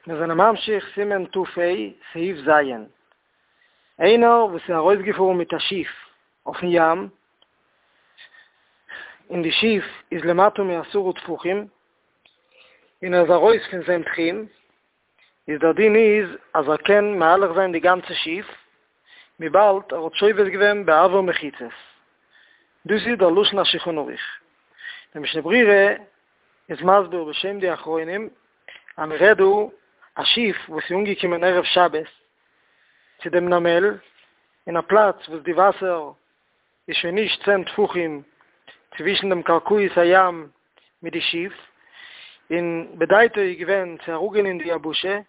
מיר זענען ממשיך סימן ת"ה, סעיף ז'. איינער וואס איז ארויסגעפארן מיט א שיף אויפן ים, און די שיף איז למטה מעשרה טפחים, און ער איז ארויס פון זיין תחום, איז דער דין איז אז ער קען מהלך זיין די גאנצע שיף, וויבאלד ער האט שובת געווען באויר מחיצות. דאס איז דער לשון השולחן ערוך. דער משנה ברורה איז מסביר בשם די אחרונים אז מען רעדט דא א שיף וואס איז אנגעקומען ערב שבת צו דעם נמל אין א פלאץ וואס די וואסער איז שוין נישט צען טפחים צווישן דעם קרקעית הים מיט די שיף, און בדעתו איז געווען צו אראפגיין אין די יבשה,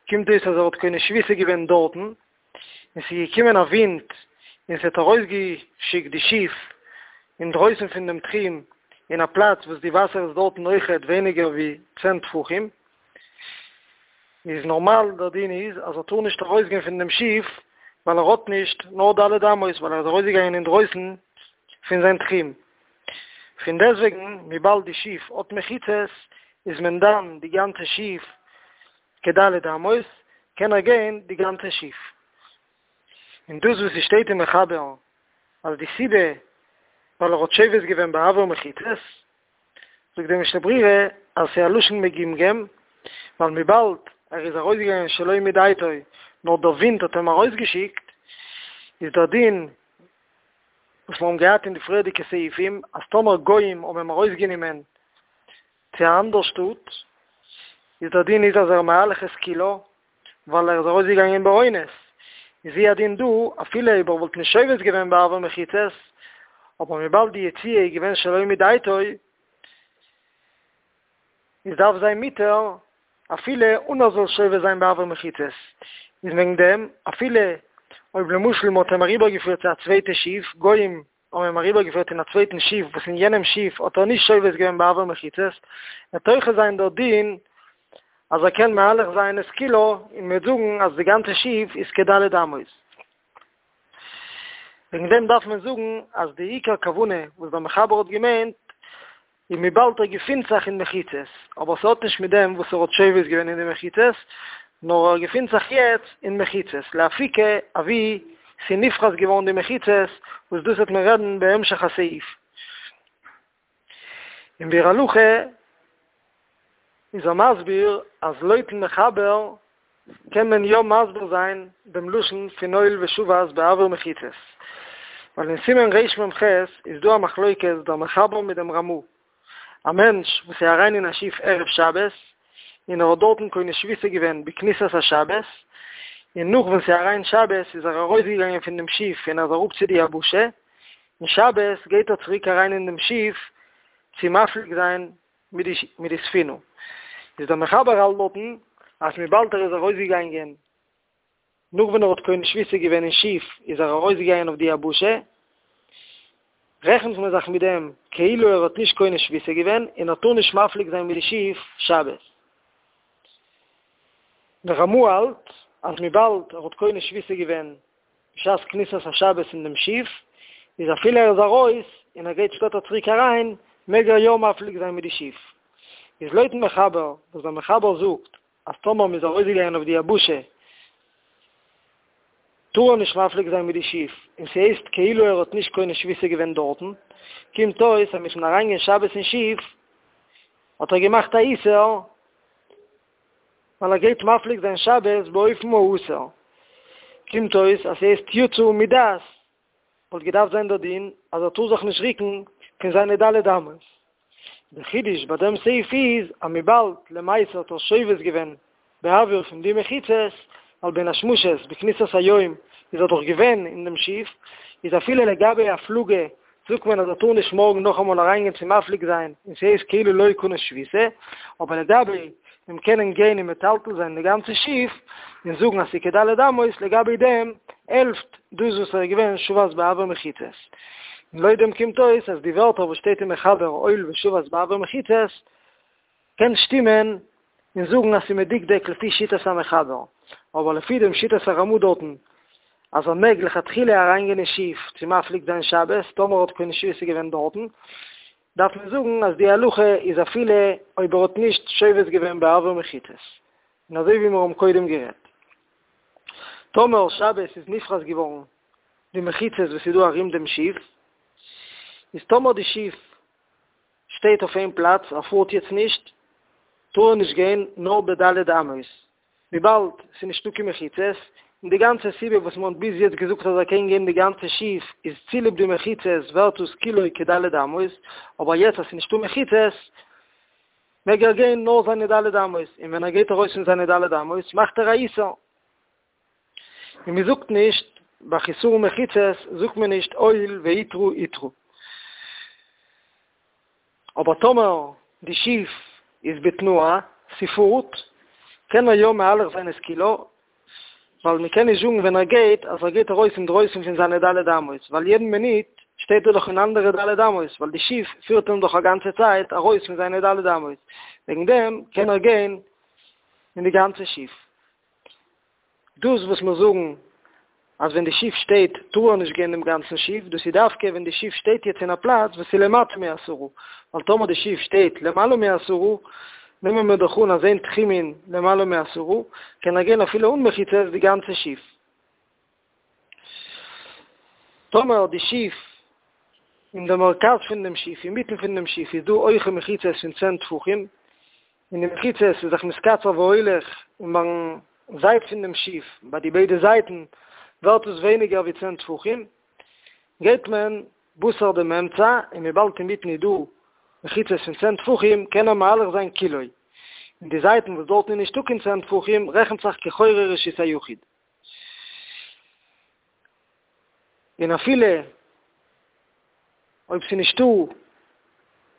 קומט אויס אז ער האט קונה שביתה געווען דארטן, און ס'איז געקומען א ווינט און ס'האט ארויסגעשיקט די שיף אינדרויסן פון דעם תחום אין א פלאץ וואס די וואסער איז דארטן אויכעט ווייניגער ווי צען טפחים, איז נארמאל דער דין איז אז ער טאר נישט ארויסגיין פון דעם שיף ווייל ער האט נישט נאר ד' אמות ווייל ער איז ארויסגעגאנגען אינדרויסן פון זיין תחום. פון דעסוועגן וויבאלד די שיף האט מחיצות איז מען דן די גאנצע שיף כד' אמות, קען ער גיין די גאנצע שיף. און דאס וואס ס'שטייט אין מחבר אז די סיבה ווייל ער האט שובת געווען באויר מחיצות, זאגט דער משנה ברורה אז ס'איז א לשון מגומגם, ווייל וויבאלד ער איז ארויסגעגאנגען שלא מדעתו נאר דער ווינט האט אים ארויסגעשיקט, איז דער דין וואס מיר האבן געהאט אין די פריערדיגע סעיפים אז טאמער גוים האבן אים ארויסגענומען צו א אנדער שטאט, איז דער דין איז אז ער מהלך את כולה, ווייל ער איז ארויסגעגאנגען באונס, איז הוא הדין דא, אפילו אויב ער וואלט נישט שובת געווען באויר מחיצות, אבער וויבאלד די יציאה איז געווען שלא מדעתו, איז דארף זיין מותר אפילו אן ער זאל שובת זיין באויר מחיצות, איז וועגן דעם אפילו אויב למשל מען האט אים אריבערגעפירט צו א צווייטע שיף, גוים האבן אים אריבערגעפירט אין א צווייטן שיף וואס אין יענעם שיף האט ער נישט שובת געווען באויר מחיצות, וועט אויכעט זיין דער דין אז ער קען מהלך זיין את כולה און מ'וועט זאגן אז די גאנצע שיף איז כד' אמות. וועגן דעם דארף מען זאגן אז די עיקר כוונה וואס דער מחבר האט געמיינט און וויבאלד ער געפינט זיך אין מחיצות, אבער ס'האט נישט מיט דעם וואס ער האט שובת געווען אין די מחיצות, נאר ער געפינט זיך יעצט אין מחיצות, לאפוקי אוואו ס'נפחת געווארן די מחיצות, וואס דאס וועט מען רעדן בהמשך הסעיף. אין ביאור הלכה איז ער מסביר אז לויטן מחבר קען מען יא מסביר זיין דעם לשון פון הואיל ושבת באויר מחיצות, ווייל אין סימן רמ"ח איז דא א מחלוקת דער מחבר מיט דעם רמ"א, א מענטש וואס איז אריין אין א שיף ערב שבת און ער האט דארטן קונה שביתה געווען בכניסת השבת, און נאך ווען ס'איז אריין שבת איז ער ארויסגעגאנגען פון דעם שיף און ער איז אראפ צו די יבשה, און שבת גייט ער צוריק אריין אין דעם שיף צו מפליג זיין מיט די מיט די ספינה איז דער מחבר האלט דארטן אז וויבאלד ער איז ארויסגעגאנגען נאך ווען ער האט קונה שביתה געווען אין שיף איז ער ארויסגעגאנגען אויף די יבשה רעכנט מען זיך מיט דעם כאילו ער האט נישט קונה שביתה געווען און ער טאר נישט מפליג זיין מיט די שיף שבת. דער רמ"א האלט אז וויבאלד ער האט קונה שביתה געווען בשעת כניסת השבת אין דעם שיף, איז אפילו ער איז ארויס און ער גייט שפעטער צוריק אריין, מעג ער יא מפליג זיין מיט די שיף. איז לויטן מחבר, וואס דער מחבר זאגט אז טאמער מ'איז ארויסגעגאנגען אויף די יבשה טאר ער נישט מפליג זיין מיט די שיף, און ס'הייסט כאילו ער האט נישט קונה שביתה געווען דארטן, קומט אויס אז מיטן אריינגיין שבת אין שיף האט ער געמאכט א איסור, ווייל ער גייט מפליג זיין שבת באופן האסור, קומט אויס אז ס'הייסט יצא מדעת, וואלט געדארפט זיין דער דין אז ער טאר זיך נישט ריקן פון זיינע ד' אמות. דער חידוש ביי דעם סעיף איז אז וויבאלד למעשה האט ער שובת געווען באוויר פון די מחיצות, ווייל בין השמשות בכניסת היום איז ער דאך געווען אין דעם שיף, איז אפילו לגבי הפלגה זאגט מען אז ער טאר נישט מארגן נאכאמאל אריינגיין צו מפליג זיין און ס'הייסט כאילו לא קנה שביתה, אבער לגבי דעם קענען גיין און מטלטל זיין די גאנצע שיף און זאגן אז ס'איז כד' אמות, לגבי דעם העלפט דאס וואס ער איז געווען שבת באויר מחיצות. און לויט דעם קומט אויס אז די ווערטער וואס שטייט אין מחבר הואיל ושבת באויר מחיצות קען שטימען און זאגן אז ס'איז מדוקדק לפי שיטת המחבר, אבער לפי דעם שיטת הרמ"א דארטן אז ער מעג לכתחילה אריינגיין אין שיף צו מפליג זיין שבת טאמער האט קונה שביתה געווען דארטן, דארף מען זאגן אז די הלכה איז אפילו אויב ער האט נישט שובת געווען באויר מחיצות. און אזוי ווי מיר האבן קודם גערעדט. טאמער שבת איז נפרס געווארן די מחיצות וואס איז דא ארום דעם שיף, איז טאמער די שיף שטייט אויף איין פלאץ, ער פארט יעצט נישט, טאר ער נישט גיין נאר בד' אמות, וויבאלד ס'איז נישטא קיין מחיצות, און די גאנצע סיבה וואס מ'האט ביז יעצט געזאגט אז ער קען גיין די גאנצע שיף איז צוליב די מחיצות ווערט עס כולו כד' אמות, אבער יעצט אז ס'איז נישטא מחיצות מעג ער גיין נאר זיינע ד' אמות, און ווען ער גייט ארויס פון זיינע ד' אמות מאכט ער א איסור. און מ'זאגט נישט, ביי חיסרון מחיצות זאגט מען נישט הואיל והותרו הותרו. אבער טאמער די שיף איז בתנועה, ס'פארט, קען ער יא מהלך זיין את כולה, ווייל מ'קען נישט זאגן ווען ער גייט אז ער גייט ארויס אינדרויסן פון זיינע ד' אמות, ווייל יעדן מינוט שטייט ער דאך אין אנדערע ד' אמות, ווייל די שיף פירט אים דאך א גאנצע צייט ארויס פון זיינע ד' אמות, וועגן דעם קען ער גיין אין די גאנצע שיף. דאס וואס מיר זאגן אז ווען די שיף שטייט טאר ער נישט גיין דעם גאנצן שיף, דאס איז דווקא ווען די שיף שטייט יעצט אין א פלאץ וואס איז למטה מעשרה, ווייל טאמער די שיף שטייט למעלה מעשרה, נעמען מיר דאך אן אז אין תחומין למעלה מעשרה, קען ער גיין אפילו אן מחיצות די גאנצע שיף. טאמער די שיף, אין די מרכז פון דעם שיף, אינמיטן פון דעם שיף, איז דא הויכע מחיצות פון צען טפחים, און די מחיצות איז זיך מתקצר והולך, און ביים זייט פון דעם שיף, ביי די ביידע זייטן, ווערט עס ווייניגער ווי צען טפחים, גייט מען בתר דעם אמצע, און וויבאלד אינמיטן איז דא מחיצות פון צען טפחים, קען ער מהלך זיין כולו. און די זייטן וואס דארטן איז נישטא קיין צען טפחים, רעכנט זיך כחורי רשות היחיד. און אפילו אויב ס'איז נישטא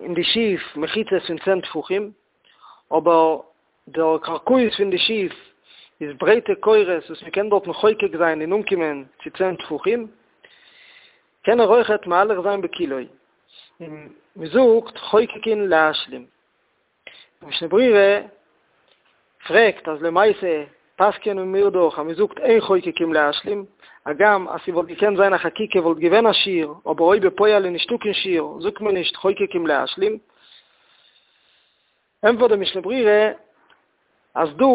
אין די שיף מחיצות פון צען טפחים, אבער דער קרקעית פון די שיף איז ברייטע קורות וואס מ'קען דארטן חוקק זיין און אנקומען צו צען טפחים, קען ער אויכעט מהלך זיין בכולו, און מ'זאגט חוקקין להשלים. די משנה ברורה פרעגט אז למעשה פסק'ענען מיר דאך אז מ'זאגט אין חוקקין להשלים, הגם אז ס'וואלט געקענט זיין א חקיקה וואלט געווען א שיעור, אבער אויב בפועל איז נישטא קיין שיעור זאגט מען נישט חוקקין להשלים. ענטפערט די משנה ברורה אז דא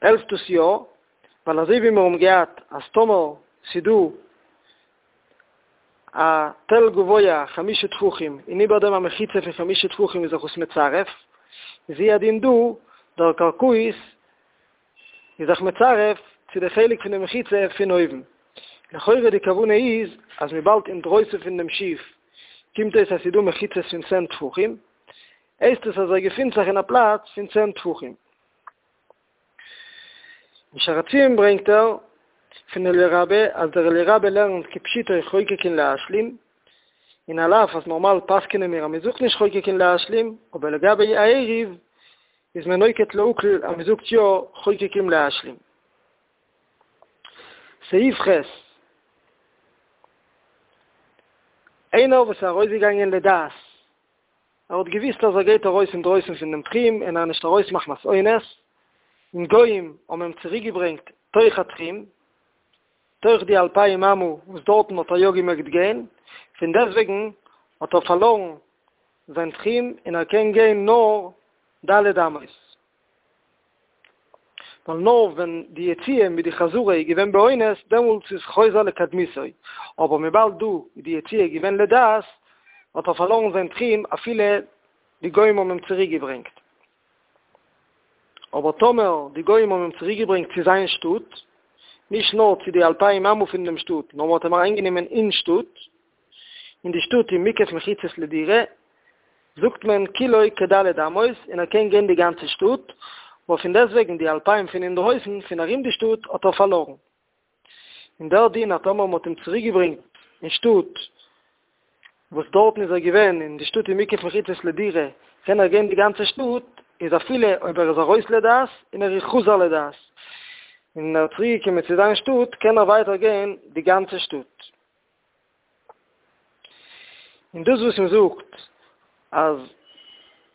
העלפט עס יא, ווייל אזוי ווי מיר האבן געהאט אז טאמער ס'דא א תל גבוה חמשה טפחים און איבער דעם א מחיצה פון חמשה טפחים איז זיך עס מצרף, איז הוא הדין דא, דער קרקעית איז זיך מצרף צו די חלק פון די מחיצה פון אויבן. לכאורה די כוונה איז אז וויבאלד אינדרויסן פון דעם שיף קומט אויס אז ס'איז דא מחיצות פון צען טפחים, הייסט עס אז ער געפינט זיך אין א פלאץ פון צען טפחים. אין שער הציון ברענגט ער פון אליה רבה אז דער אליה רבה לערנט כפשוטו חוקקין להשלים, און על אף אז נארמאל פסק'נען מיר אז מ'זאגט נישט חוקקין להשלים, אבער לגבי א עירוב איז מען נוקט להקל אז מ'זאגט יא חוקקין להשלים. סעיף ח'. איינער וואס איז ארויסגעגאנגען לדעת ער האט געוויסט אז ער גייט ארויס אינדרויסן פון דעם תחום און ער איז נישט ארויס מחמת אונס, און גויים האבן אים צוריקגעברענגט תוך התחום, תוך די אלפיים אמה וואס דארטן האט ער יא געמעגט גיין, פון דעסטוועגן האט ער פארלארן זיין תחום און ער קען גיין נאר ד' אמות. ווייל נאר ווען די יציאה מיט די חזרה איז געווען באונס דעמאלטס איז חוזר לקדמותו, אבער וויבאלד דא איז די יציאה געווען לדעת האט ער פארלארן זיין תחום אפילו די גוים האבן אים צוריק געברענגט. אבער טאמער די גוים האבן אים צוריק געברענגט צו זיין שטאט, נישט נאר צו די אלפיים אמה פון דעם שטאט, נאר מען האט אים אריינגענומען אין שטאט, און די שטאט איז מוקף מחיצות לדירה, זאגט מען כולו כד' אמות און ער קען גיין די גאנצע שטאט, אבער פון דעסטוועגן די אלפיים פון אינדרויסן פון ארום די שטאט האט ער פארלארן. און דער דין אז טאמער מ'האט אים צוריק געברענגט אין שטאט וואס דארטן איז ער געווען און די שטאט איז מוקף מחיצות לדירה קען ער גיין די גאנצע שטאט, איז אפילו אויב ער איז ארויס לדעת און ער איז חוזר לדעת און ער איז צוריק געקומען צו זיין שטאט קען ער ווייטער גיין די גאנצע שטאט. און דאס וואס מען זאגט אז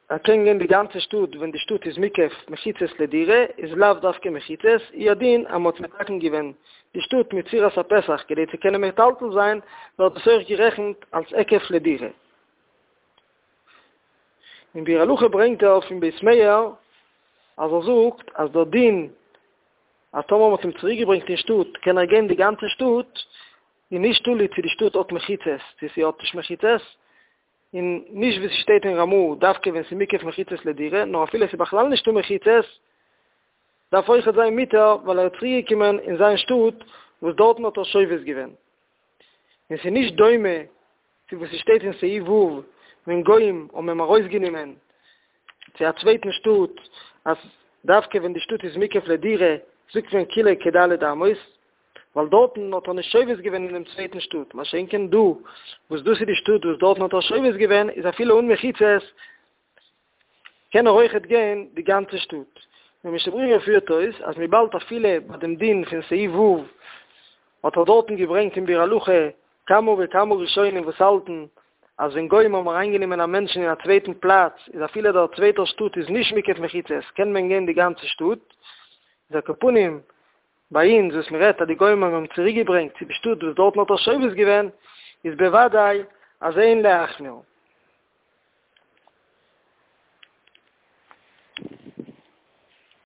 ער קען גיין די גאנצע שטאט ווען די שטאט איז מוקף מחיצות לדירה איז לאו דווקא מחיצות, הוא הדין אז מען האט מתקן געווען די שטאט מיט צורת הפתח כדי צו קענען מטלטל זיין ווערט דאס אויך גערעכנט אלס היקף לדירה. אין ביאור הלכה ברענגט ער פון בית מאיר. אז ער זאגט אז דער דין אז טאמער מ'האט אים צוריק געברענגט אין שטאט קען ער גיין די גאנצע שטאט, איז נישט תלוי צו די שטאט האט מחיצות צו ס'האט נישט מחיצות, און נישט ווי ס'שטייט אין רמ"א דווקא ווען ס'איז מוקף מחיצות לדירה, נאר אפילו ס'איז בכלל נישטא מחיצות דארף אויכעט זיין מותר ווייל ער איז צוריק געקומען אין זיין שטאט וואס דארטן האט ער שובת געווען. און ס'איז נישט דומה צו וואס ס'שטייט אין סעיף ו' ווען גוים האבן אים ארויסגענומען צו א צווייטן שטאט אז דווקא ווען די שטאט איז מוקף לדירה זאגט מען כולה כד' אמות ווייל דארטן האט ער נישט שובת געווען אין דעם צווייטן שטאט מה שאין כן דא וואס דאס איז די שטאט וואס דארטן האט ער שובת געווען איז אפילו אן מחיצות קען ער אויכעט גיין די גאנצע שטאט. דער משנה ברורה פירט אויס אז וויבאלד אפילו ביי דעם דין פון סעיף ו' האט ער דארטן געברענגט אין ביאור הלכה כמה וכמה ראשונים וואס האלטן אז ווען גוים האבן אריינגענומען א מענטשן אין א צווייטן פלאץ איז אפילו דער צווייטער שטאט איז נישט מוקף מחיצות קען מען גיין די גאנצע שטאט איז על כל פנים ביי אונז וואס מען רעדט אז די גוים האבן אים צוריק געברענגט צו די שטאט וואס דארטן האט ער שובת געווען איז בוודאי אז אין להחמיר.